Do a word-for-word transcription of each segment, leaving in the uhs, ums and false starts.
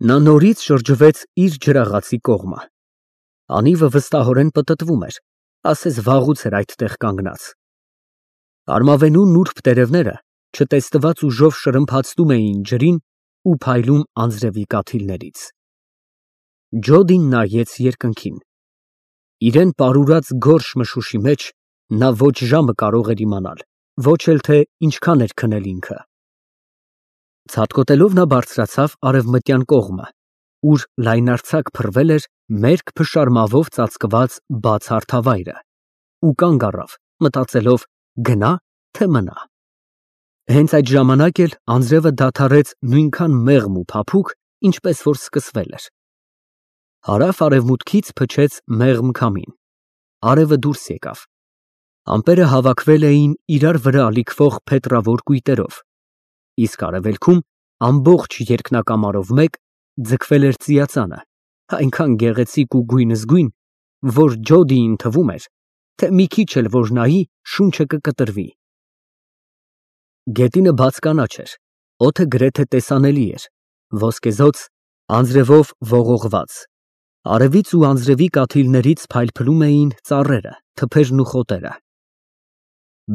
Նա նորից շրջվեց իր ջրաղացի կողմը։ Անիվը վստահորեն պտտվում էր, ասես վաղուց էր այդտեղ կանգնած։ Արմավենու նուրբ տերևները չտեսնված ուժով շրմփացնում էին ջրին ու փայլում անձրևի կաթիլներից։ Ջոդին նայեց երկնքին։ Իրան պարուրած գորշ մշուշի մեջ նա ոչ ժամը կարող էր իմանալ, ոչ էլ թե ինչքան էր քնել ինքը։ Ցատկոտելով նա բարձրացավ արևմտյան կողմը, ուր լայնարձակ փռվել էր մերկ փշարմավով ծածկված բաց հարթավայրը, ու կանգ առավ, մտածելով գնա, թե մնա։ Հենց այդ ժամանակ էլ անձրևը դադարեց նույնքան մեղմ ու փափուկ, ինչպես որ սկսվել էր։ Հարավ֊արևմուտքից փչեց մեղմ քամին, արևը դուրս եկավ։ Ամպերը հավաքվել էին իրար վրա ալիքվող փետրավոր կույտերով, իսկ արևելքում ամբողջ երկնակամարով մեկ ձգվել էր ծիածանը, այնքան գեղեցիկ ու գույնզգույն, որ Ջոդիին թվում էր, թե մի քիչ էլ որ նայի, շունչը կկտրվի։ Գետինը բաց կանաչ էր, օդը գրեթե տեսանելի էր, ոսկեզօծ, անձրևով ողողված, արևից ու անձրևի կաթիլներից փայլփլում էին ծառերը, թփերն ու խոտերը։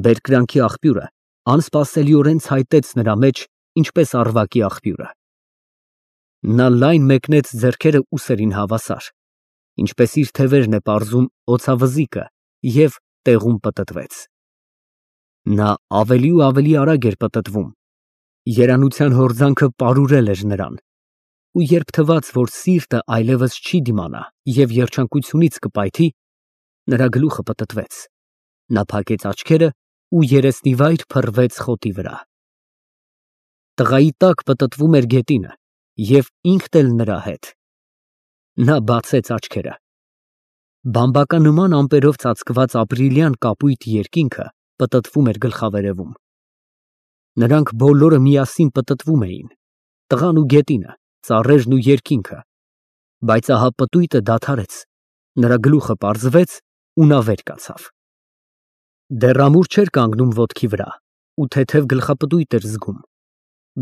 Բերկրանքի աղբյուրը անսպասելիորեն ցայտեց նրա մեջ, ինչպես առվակի աղբյուրը։ Նա լայն մեկնեց ձեռքերը ուսերին հավասար, ինչպես իր թևերն է պարզում օձավզիկը, և տեղում պտտվեց։ Նա ավելի ու ավելի արագ էր պտտվում, երանության հորձանքը պարուրել էր նրան, ու երբ թվաց, որ սիրտը այլևս չի դիմանա և երջանկությունից կպայթի, նրա գլուխը պտտվեց, նա փակեց աչքերը ու երեսնիվայր փռվեց խոտի վրա։ Տղայի տակ պտտվում էր գետինը և ինքն էլ նրա հետ։ Նա բացեց աչքերը։ Բամբականման ամպերով ծածկված ապրիլյան կապույտ երկինքը պտտվում էր գլխավերևում։ Նրանք բոլորը միասին պտտվում էին, տղան ու գետինը, ծառերն ու երկինքը, բայց ահա պտույտը դադարեց, նրա գլուխը պարզվեց ու նա վեր կացավ։ Դեռ ամուր չէր կանգնում ոտքի վրա ու թեթև գլխապտույտ էր զգում,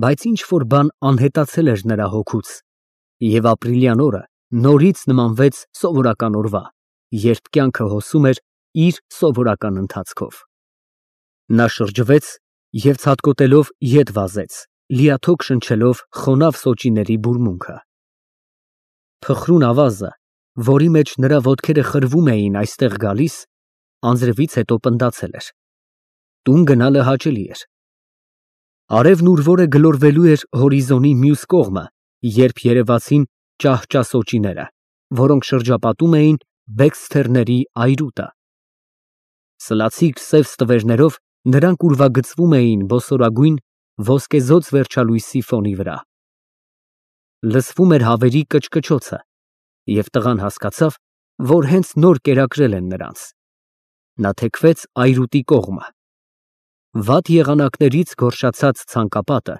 բայց ինչ֊որ բան անհետացել էր նրա հոգուց, և ապրիլյան օրը նորից նմանվեց սովորական օրվա, երբ կյանքը հոսում էր իր սովորական ընթացքով։ Նա շրջվեց և ցատկոտելով ետ վազեց, լիաթոք շնչելով խոնավ սոճիների բուրմունքը։ Փխրուն ավազը, որի մեջ նրա ոտքերը խրվում էին այստեղ գալիս, անձրևից հետո պնդացել էր։ Տուն գնալը հաճելի էր։ Արևն ուր որ է գլորվելու էր հորիզոնի մյուս կողմը, երբ երևացին ճահճա սոճիները, որոնք շրջապատում էին Բեքսթերների այրուտը։ Սլացիկ սև ստվերներով նրանք ուրվագծվում էին բոսորագույն ոսկեզօծ վերջալույսի ֆոնի վրա։ Լսվում էր հավերի կչկչոցը, և տղան հասկացավ, որ հենց նոր կերակրել են նրանց։ Նա թեքվեց այրուտի կողմը։ Վատ եղանակներից գորշացած ցանկապատը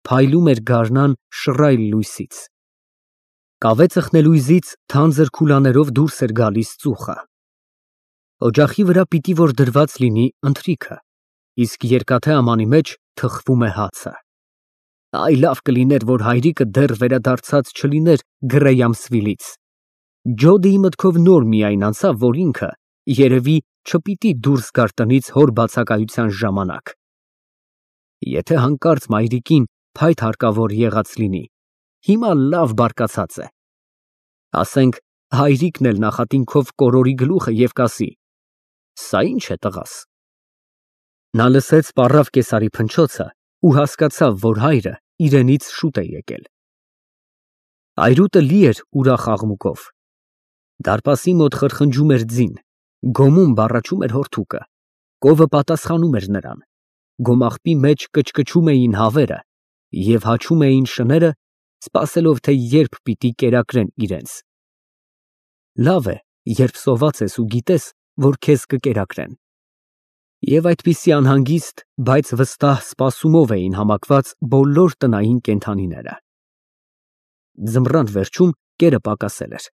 փայլում էր գարնան շռայլ լույսից։ Կավե ծխնելույզից թանձր քուլաներով դուրս էր գալիս ծուխը։ Օջախի վրա պիտի որ դրված լինի ընթրիքը, իսկ երկաթե ամանի մեջ թխվում է հացը։ Այ լավ կլիներ, որ հայրիկը դեռ վերադարձած չլիներ Գրեյամսվիլից։ Ջոդիի մտքով նոր միայն անցավ, որ ինքը, երևի, չպիտի դուրս գար տնից հոր բացակայության ժամանակ։ Եթե հանկարծ մայրիկին փայտ հարկավոր եղած լինի, հիմա լավ բարկացած է։ Ասենք, հայրիկն էլ նախատինքով կորորի գլուխը և կասի. «Սա ի՞նչ է, տղաս»։ Նա լսեց պառավ կեսարի փնչոցը ու հասկացավ, որ հայրը իրենից շուտ է եկել։ Այրուտը լի էր ուրախ աղմուկով։ Դարպասի մոտ խրխնջում էր ձին, գոմում բառաչում էր հորթուկը, կովը պատասխանում էր նրան, գոմաղբի մեջ կչկչում էին հավերը և հաչում էին շները, սպասելով, թե երբ պիտի կերակրեն իրենց։ Լավ է, երբ սոված ես ու գիտես, որ քեզ կկերակրեն։ Եվ այդպիսի անհանգիստ, բայց վստահ սպասումով էին համակված բոլոր տնային կենդանիները։ Ձմռան վերջում կերը պակասել էր։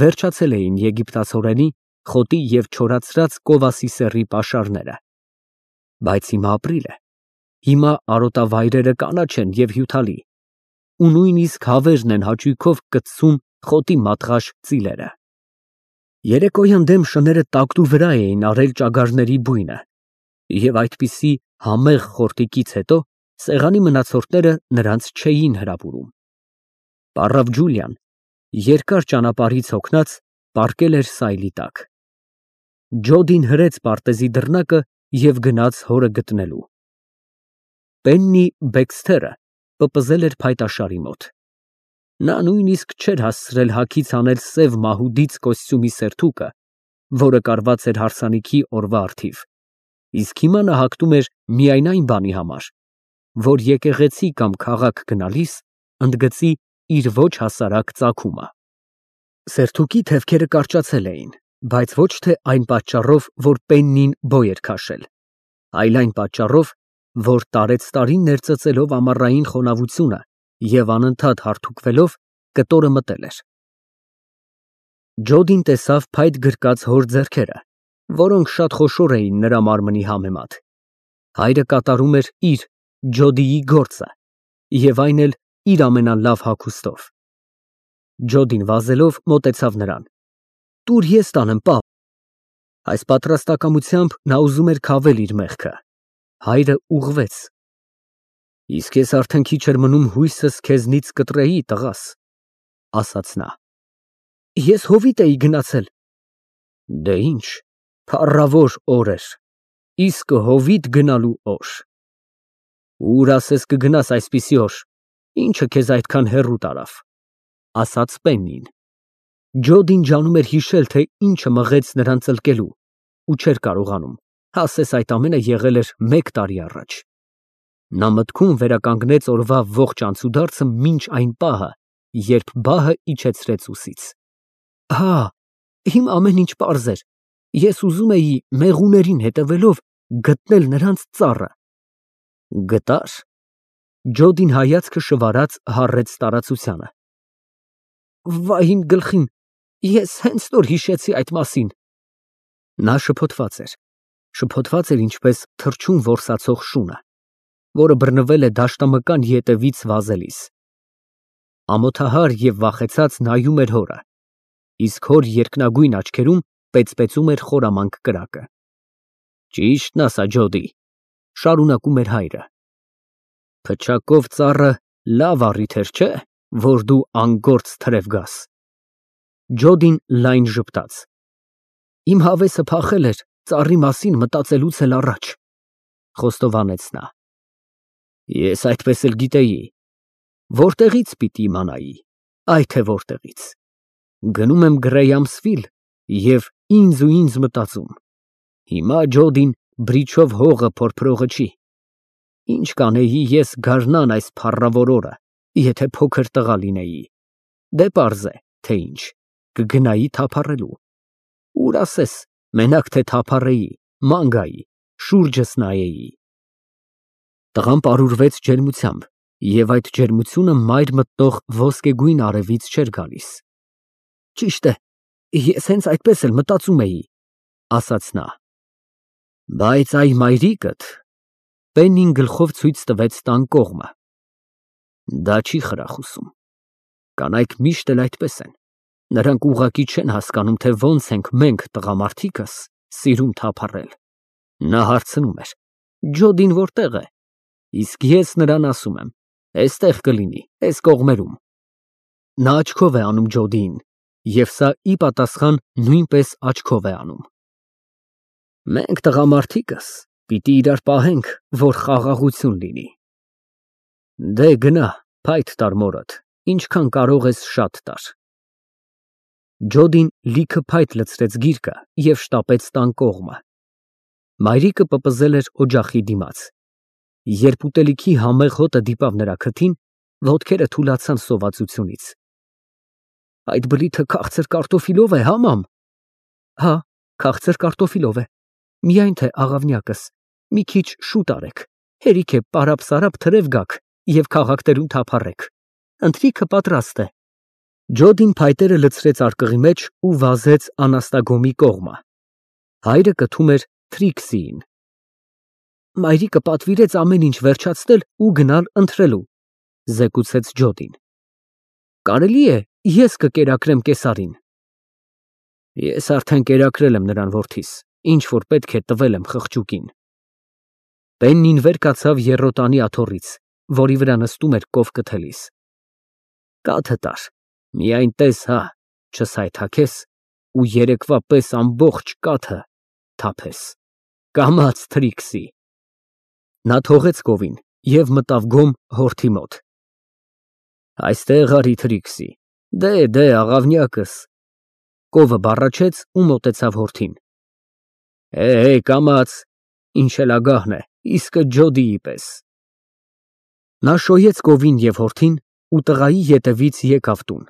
Վերջացել էին եգիպտացորենի, խոտի և չորացրած կովասի սեռի պաշարները։ Բայց հիմա ապրիլ է, հիմա արոտավայրերը կանաչ են և հյութալի, ու նույնիսկ հավերն են հաճույքով կծում խոտի մատղաշ ծիլերը։ Երեկոյան դեմ շները տակտու վրա էին արել ճագարների բույնը, և այդպիսի համեղ խորտիկից հետո սեղանի մնացորդները նրանց չէին հրապուրում։ Պառավ Ջուլիան, երկար ճանապարհից հոգնած, պառկել էր սայլի տակ։ Ջոդին հրեց պարտեզի դռնակը և գնաց հորը գտնելու։ Պեննի Բեքսթերը պպզել էր փայտաշարի մոտ։ Նա նույնիսկ չէր հասցրել հագից անել սև մահուդից կոստյումի սերթուկը, որը կարված էր հարսանիքի օրվա առթիվ, իսկ հիմա նա հագնում էր միայն այն բանի համար, որ եկեղեցի կամ քաղաք գնալիս ընդգծի իր ոչ հասարակ ծագումը։ Սերթուկի թևքերը կարճացել էին, բայց ոչ թե այն պատճառով, որ Պեննին բոյ էր քաշել, այլ այն պատճառով, որ տարեցտարին ներծծելով ամառային խոնավությունը և անընդհատ հարթուկվելով կտորը մտել էր։ Ջոդին տեսավ փայտ գրկած հոր ձեռքերը, որոնք շատ խոշոր էին նրա մարմնի համեմատ։ Հայրը կատարում էր իր՝ Ջոդիի գործը, և այն էլ իր ամենալավ հագուստով։ Ջոդին վազելով մոտեցավ նրան։ Տուր ես տանեմ, պապ։ Այս պատրաստակամությամբ նա ուզում էր քավել իր մեղքը։ Հայրը ուղղվեց։ Իսկ ես արդեն քիչ էր մնում հույսս քեզնից կտրեի, տղաս, ասաց նա։ Ես հովիտ էի գնացել։ Դե ինչ, փառավոր օր էր, իսկ հովիտ գնալու օր։ Ուր ասես կգնաս այսպիսի օր, ինչը քեզ այդքան հեռու տարավ, ասաց Պեննին։ Ջոդին ջանում էր հիշել, թե ինչը մղեց նրան ծլկելու, ու չէր կարողանում, ասես այդ ամենը եղել էր մեկ տարի առաջ։ Նա մտքում վերականգնեց օրվա ողջ անցուդարձը մինչ այն պահը, երբ բահը իջեցրեց ուսից։ Հա, հիմա ամեն ինչ պարզ էր։ Ես ուզում էի մեղուներին հետևելով գտնել նրանց ծառը։ Գտա՞ր։ Ջոդին հայացքը շվարած հառեց տարածությանը։ Վայ իմ գլխին, ես հենց նոր հիշեցի այդ մասին։ Նա շփոթված էր, շփոթված էր ինչպես թռչուն որսացող շունը, որը բռնվել է դաշտամկան ետևից վազելիս։ Ամոթահար և վախեցած նայում էր հորը, իսկ հոր երկնագույն աչքերում պեծպեցում էր խորամանկ կրակը։ Ճիշտն ասա, Ջոդի, շարունակում էր հայրը։ Փչակով ծառը լավ առիթ էր, չէ՞, որ դու անգործ թրև գաս։ Ջոդին լայն ժպտաց։ Իմ հավեսը փախել էր ծառի մասին մտածելուց էլ առաջ, խոստովանեց նա։ Ես այդպես էլ գիտեի։ Որտեղի՞ց պիտի իմանայի, այ թե որտեղից։ Գնում եմ Գրեյամսվիլ և ինձ ու ինձ մտածում. հիմա Ջոդին բրիչով հողը փորփրողը չի։ Ինչ կանեի ես գարնան այս փառավոր օրը, եթե փոքր տղա լինեի։ Դե պարզ է, թե ինչ, կգնայի թափառելու։ Ուր ասես, մենակ թե թափառեի, ման գայի, շուրջս նայեի։ Տղան պարուրվեց ջերմությամբ, և այդ ջերմությունը մայր մտնող ոսկեգույն արևից չէր գալիս։ Ճիշտ է, ես հենց այդպես էլ մտածում էի, ասաց նա։ Բայց այ մայրիկդ, Պեննին գլխով ցույց տվեց տան կողմը։ Դա չի խրախուսում։ Կանայք միշտ էլ այդպես են։ Նրանք ուղղակի չեն հասկանում, թե ոնց ենք մենք տղամարդիկս սիրում թափառել։ Նա հարցնում էր. Ջոդին որտե՞ղ է։ Իսկ ես նրան ասում եմ. էստեղ կլինի, էս կողմերում։ Նա աչքով է անում Ջոդիին, և սա ի պատասխան նույնպես աչքով է անում։ Մենք տղամարդիկս պիտի իրար պահենք, որ խաղաղություն լինի։ Դե գնա, փայտ տար մորդ, ինչքան կարող ես շատ տար։ Ջոդին լիքը փայտ լցրեց գիրկը և շտապեց տան կողմը։ Մայրիկը պպզել էր օջախի դիմաց։ Երբ ուտելիքի համեղ հոտը դիպավ նրա քթին, ոտքերը թուլացան սովածությունից։ Այդ բլիթը քաղցր կարտոֆիլով է, հա, մամ։ Հա, քաղցր կարտոֆիլով է, միայն թե աղավնյակս, մի քիչ շուտ արեք, հերիք է պարապ֊սարապ թրև գաք և քաղաքներում թափառեք, ընթրիքը պատրաստ է։ Ջոդին փայտերը լցրեց արկղի մեջ ու վազեց Անաստագոմի կողմը։ Հայրը կթում էր Թրիքսիին։ Մայրիկը պատվիրեց ամեն ինչ վերջացնել ու գնալ ընթրելու։ Զեկուցեց Ջոդին։ Կարելի է ես կկերակրեմ կեսարին։ Ես արդեն կերակրել եմ նրան որդիս, ինչ որ պետք է տվել եմ խղճուկին։ Պեննին վեր կացավ եռոտանի աթոռից, որի վրա նստում էր կովկը թելիս։ Կաթը տար, միայն տես հա, չսայթաքես ու երեկվա պես ամբողջ կաթը թափես։ Կամաց Թրիքսի։ Նա թողեց կովին և մտավ գոմ հորթի մոտ։ Այստեղ արի Թրիքսի, դե, դե, աղավնյակս։ Կովը բառաչեց ու մոտեցավ հորթին։ Է, է, կամաց, ինչ էլ ագահն է, իսկը Ջոդիի պես։ Նա շոյեց կովին և հորթին ու տղայի ետևից եկավ տուն։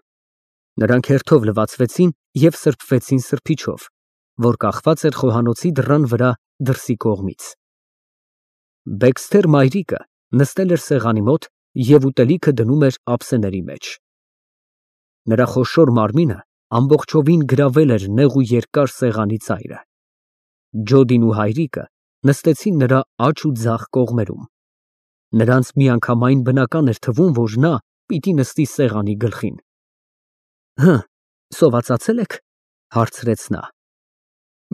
Նրանք հերթով լվացվեցին և սրբվեցին սրբիչով, որ կախված էր խոհանոցի դռան վրա դրսի կողմից։ Բեքսթեր մայրիկը նստել էր սեղանի մոտ և ուտելիքը դնում էր ափսեների մեջ։ Նրա խոշոր մարմինը ամբողջովին գրավել էր նեղ ու երկար սեղանի ծայրը։ Ջոդին ու հայրիկը նստեցին նրա աջ ու ձախ կողմերում։ Նրանց միանգամայն բնական էր թվում, որ նա պիտի նստի սեղանի գլխին։ Հը, սովածացե՞լ եք, հարցրեց նա։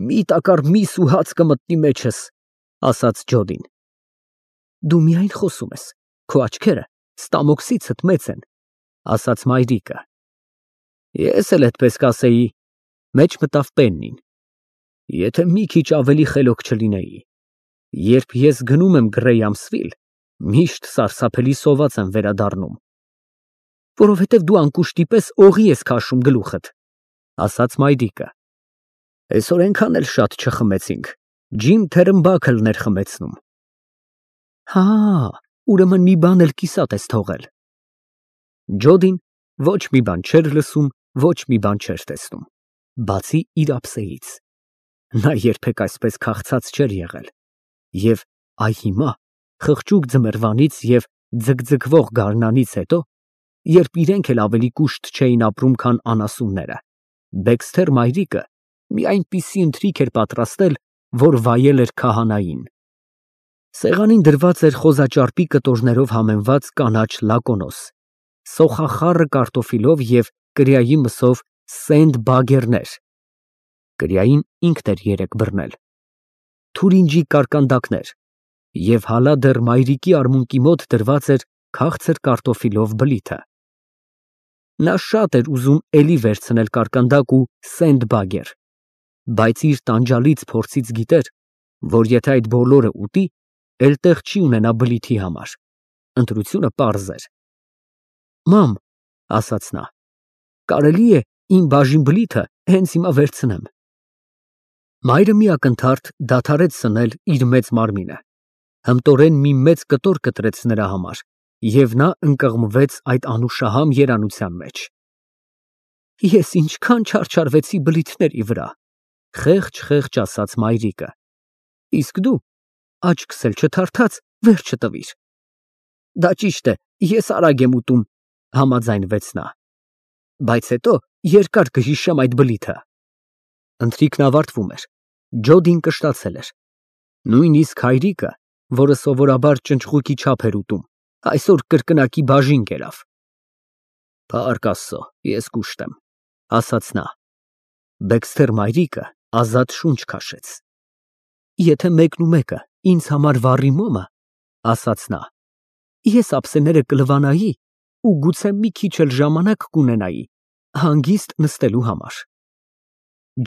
Մի տակառ միս ու հաց կմտնի մեջս, ասաց Ջոդին։ Դու միայն խոսում ես, քո աչքերը ստամոքսիցդ մեծ են, ասաց մայրիկը։ Ես էլ այդպես կասեի, մեջ մտավ Պեննին։ Եթե մի քիչ ավելի խելոք չլինեի, երբ ես գնում եմ Գրեյամսվիլ, միշտ սարսափելի սոված եմ վերադառնում։ Որովհետև դու անկուշտի պես օղի ես քաշում գլուխդ, ասաց մայրիկը։ Այսօր այնքան էլ շատ չխմեցինք, Ջիմ Թերնբաքլն էր խմեցնում։ Հա, ուրեմն մի բան էլ կիսատ ես թողել։ Ջոդին ոչ մի բան չէր լսում, ոչ մի բան չէր տեսնում, բացի իր ափսեից։ Նա երբեք այսպես քաղցած չէր եղել, և այ հիմա, խղճուկ ձմռվանից և ձգձգվող գարնանից հետո, երբ իրենք էլ ավելի կուշտ չէին ապրում, քան անասունները, Բեքսթեր մայրիկը մի այնպիսի ընթրիք էր պատրաստել, որ վայել էր քահանային։ Սեղանին դրված էր խոզաճարպի կտորներով համեմված կանաչ լակոնոս, սոխախառը կարտոֆիլով և կրյայի մսով սենդ բագերներ (կրյային ինքն էր երեկ բռնել), թուրինջի կարկանդակներ և հալա դեռ մայրիկի արմունկի մոտ դրված էր քաղցր կարտոֆիլով բլիթը։ Նա շատ էր ուզում էլի վերցնել կարկանդակ ու սենդ բագեր, բայց իր տանջալից փորձից գիտեր, որ եթե այդ բոլորը ուտի, էլ տեղ չի ունենա բլիթի համար։ Ընտրությունը պարզ էր։ Մամ, ասաց նա, կարելի է իմ բաժին բլիթը հենց հիմա վերցնեմ։ Մայրը մի ակնթարթ դադարեց սնել իր մեծ մարմինը, հմտորեն մի մեծ կտոր կտրեց նրա համար, և նա ընկղմվեց այդ անուշահամ երանության մեջ։ Ես ինչքան չարչարվեցի բլիթների վրա, խեղճ֊խեղճ ասաց մայրիկը, իսկ դու աչքս էլ չթարթած վերջը տվիր։ Դա ճիշտ է, ես արագ եմ ուտում, համաձայնվեց նա, բայց հետո երկար կհիշեմ այդ բլիթը։ Ընթրիքն ավարտվում էր, Ջոդին կշտացել էր։ Նույնիսկ հայրիկը, որը սովորաբար ճնճղուկի չափ էր ուտում, այսօր կրկնակի բաժին կերավ։ Փառք Աստծո, ես կուշտ եմ, ասաց նա։ Բեքսթեր մայրիկը ազատ շունչ քաշեց։ Եթե մեկն ու մեկը ինձ համար վառի մոմը, ասաց նա, ես ափսեները կլվանայի ու գուցե մի քիչ էլ ժամանակ կունենայի հանգիստ նստելու համար։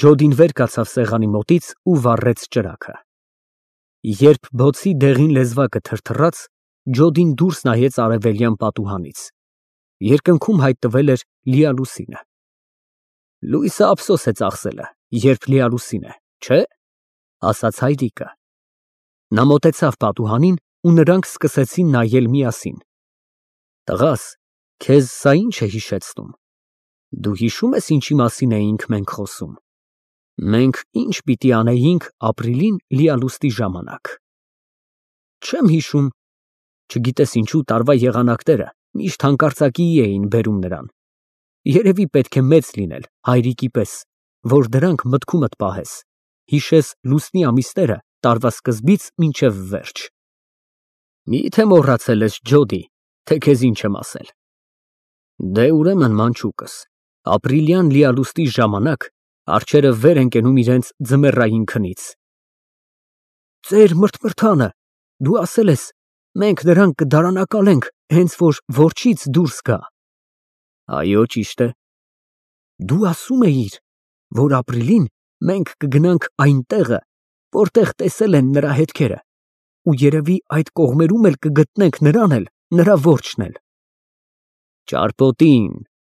Ջոդին վեր կացավ սեղանի մոտից ու վառեց ճրագը։ Երբ բոցի դեղին լեզվակը թրթռաց, Ջոդին դուրս նայեց արևելյան պատուհանից։ Երկնքում հայտնվել էր լիալուսինը։ Լույսը ափսոս է ծախսելը, երբ լիալուսին է, չէ՞, ասաց հայրիկը։ Նա մոտեցավ պատուհանին ու նրանք սկսեցին նայել միասին։ Տղաս, քեզ սա ի՞նչ է հիշեցնում։ Դու հիշո՞ւմ ես ինչի մասին էինք մենք խոսում։ Մենք ի՞նչ պիտի անեինք ապրիլին լիալուստի ժամանակ։ Չեմ հիշում։ Չգիտես ինչու տարվա եղանակները միշտ հանկարծակիի էին բերում նրան։ Երևի պետք է մեծ լինել, հայրիկի պես, որ դրանք մտքումդ պահես, հիշես լուսնի ամիսները տարվա սկզբից մինչև վերջ։ Մի՞թե մոռացել ես, Ջոդի, թե քեզ ինչ եմ ասել։ Դե ուրեմն մանչուկս, ապրիլյան լիալուստի ժամանակ արջերը վեր են կենում իրենց ձմեռային քնից։ Ծեր մրթմրթանը, դու ասել ես, մենք նրան կդարանակալենք, հենց որ որջից դուրս գա։ Այո, ճիշտ է։ Դու ասում էիր, որ ապրիլին մենք կգնանք այն տեղը, որտեղ տեսել են նրա հետքերը, ու երևի այդ կողմերում էլ կգտնենք նրան էլ, նրա որջն էլ։ Ճարպոտին,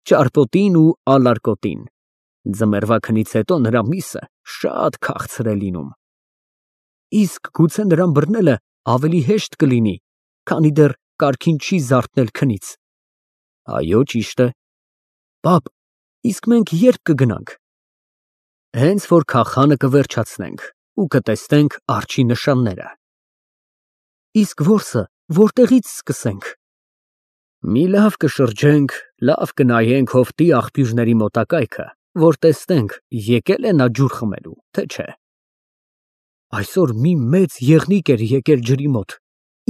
ճարպոտին ու ալարկոտին։ Ձմեռվա քնից հետո նրա միսը շատ քաղցր է լինում։ Իսկ գուցե նրան բռնելը ավելի հեշտ կլինի, քանի դեռ կարգին չի զարթնել քնից։ Այո, ճիշտ է։ Պապ, իսկ մենք ե՞րբ կգնանք։ Հենց որ քախանը կվերջացնենք ու կտեսնենք արջի նշանները։ Իսկ որսը որտեղից սկսենք։ Մի լավ կշրջենք, լավ կնայենք հովտի աղբյուրների մոտակայքը, որ տեսնենք եկել է նա ջուր խմելու, թե չէ։ Այսօր մի մեծ եղնիկ էր եկել ջրի մոտ,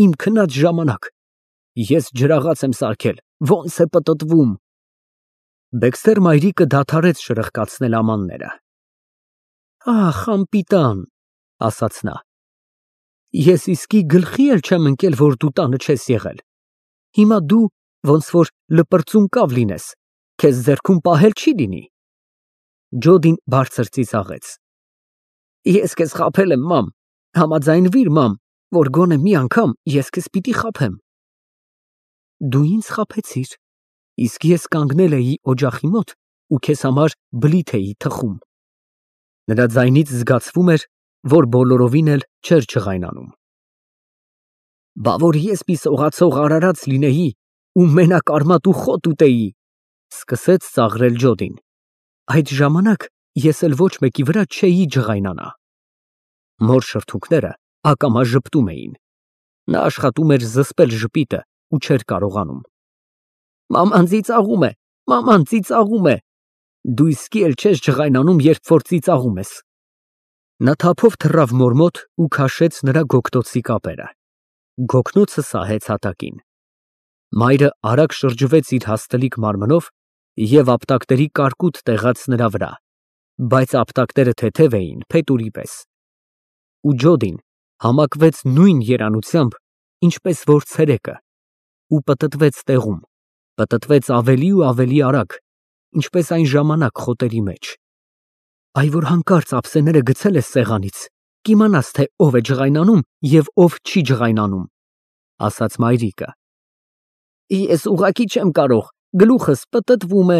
իմ քնած ժամանակ, ես ջրաղաց եմ սարքել, ոնց է պտտվում։ Բեքսթեր մայրիկը դադարեց շրխկացնել ամանները։ Ախ, անպիտան, ասաց նա, ես իսկի գլխի էլ չեմ ընկել, որ դու տանը չես եղել։ Հիմա դու ոնց որ լպրծուն կավ լինես, քեզ ձեռքում պահել չի լինի։ Ջոդին բարձր ծիծաղեց։ Ես քեզ խաբել եմ, մամ, համաձայնվիր, մամ, որ գոնե մի անգամ ես քեզ պիտի խաբեմ։ Դու ինձ խաբեցիր, իսկ ես կանգնել էի օջախի մոտ ու քեզ համար բլիթ էի թխում։ Նրա ձայնից զգացվում էր, որ բոլորովին էլ չէր ջղայնանում։ Բա որ ես մի սողացող արարած լինեի ու մենակ արմատ ու խոտ ուտեի, սկսեց ծաղրել Ջոդին։ Այդ ժամանակ ես էլ ոչ մեկի վրա չէի ջղայնանա։ Մոր շրթունքները ակամա ժպտում էին։ Նա աշխատում էր զսպել ժպիտը ու չէր կարողանում։ Մաման ծիծաղում է, մաման ծիծաղում է։ Դու իսկի էլ չես ջղայնանում, երբ որ ծիծաղում ես։ Նա թափով թռավ մոր մոտ ու քաշեց նրա գոգտոցի կապերը։ Գոգնոցը սահեց հատակին։ Մայրը արագ շրջվեց իր հաստլիկ մարմնով և ապտակների կարկուտ տեղաց նրա վրա, բայց ապտակները թեթև էին, փետուրի պես։ Ու Ջոդին համակվեց նույն երանությամբ, ինչպես որ ցերեկը, ու պտտվեց տեղում, պտտվեց ավելի ու ավելի արագ, ինչպես այն ժամանակ խոտերի մեջ։ Այ որ հանկարծ ափսեները գցել ես սեղանից, կիմանաս, թե ով է ջղայնանում և ով չի ջղայնանում, ասաց մայրիկը։ Ես ուղղակի չեմ կարող, գլուխս պտտվում է։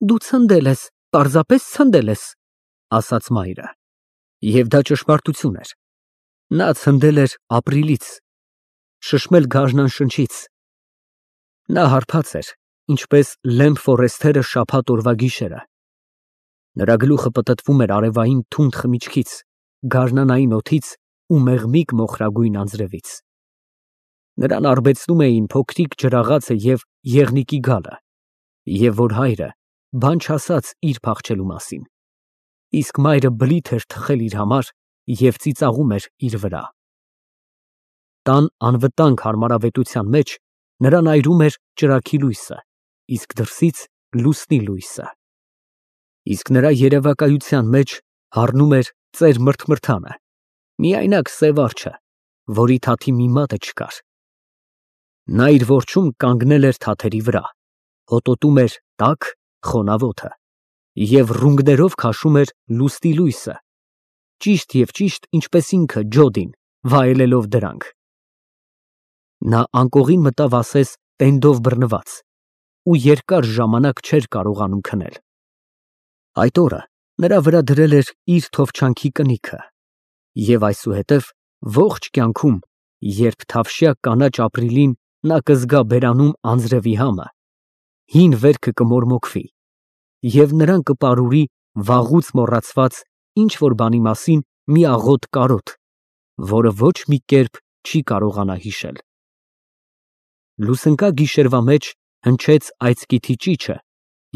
Դու ցնդել ես, պարզապես ցնդել ես, ասաց մայրը։ Եվ դա ճշմարտություն էր։ Նա ցնդել էր ապրիլից, շշմել գարնան շնչից։ Նա հարբած էր, ինչպես Լեմփ Ֆորեսթերը շաբաթ օրվա գիշերը։ Նրա գլուխը պտտվում էր արևային թունդ խմիչքից, գարնանային օդից ու մեղմիկ մոխրագույն անձրևից։ Նրան արբեցնում էին փոքրիկ ջրաղացը և եղնիկի գալը, և որ հայրը բան չասաց իր փախչելու մասին, իսկ մայրը բլիթ էր թխել իր համար և ծիծաղում էր իր վրա։ Տան անվտանգ հարմարավետության մեջ նրան այրում էր ճրագի լույսը, իսկ դրսից լուսնի լույսը։ Իսկ նրա երևակայության մեջ հառնում էր ծեր մրթմրթանը, միայնակ սև արջը, որի թաթի մի մատը չկար։ Նա իր որջում կանգնել էր թաթերի վրա, հոտոտում էր տաք խոնավ օդը և ռունգներով քաշում էր լուսնի լույսը, ճիշտ և ճիշտ ինչպես ինքը Ջոդին, վայելելով դրանք։ Նա անկողին մտավ ասես տենդով բռնված ու երկար ժամանակ չէր կարողանում քնել։ Այդ օրը նրա վրա դրել էր իր թովչանքի կնիքը, և այսուհետև ողջ կյանքում, երբ թավշյա կանաչ ապրիլին նա կզգա բերանում անձրևի համը, հին վերքը կմորմոքվի, և նրան կպարուրի վաղուց մոռացված ինչ֊որ բանի մասին մի աղոտ կարոտ, որը ոչ մի կերպ չի կարողանա հիշել։ Լուսնկա գիշերվա մեջ հնչեց այծկիթի ճիչը,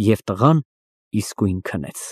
և տղան իսկույն քնեց։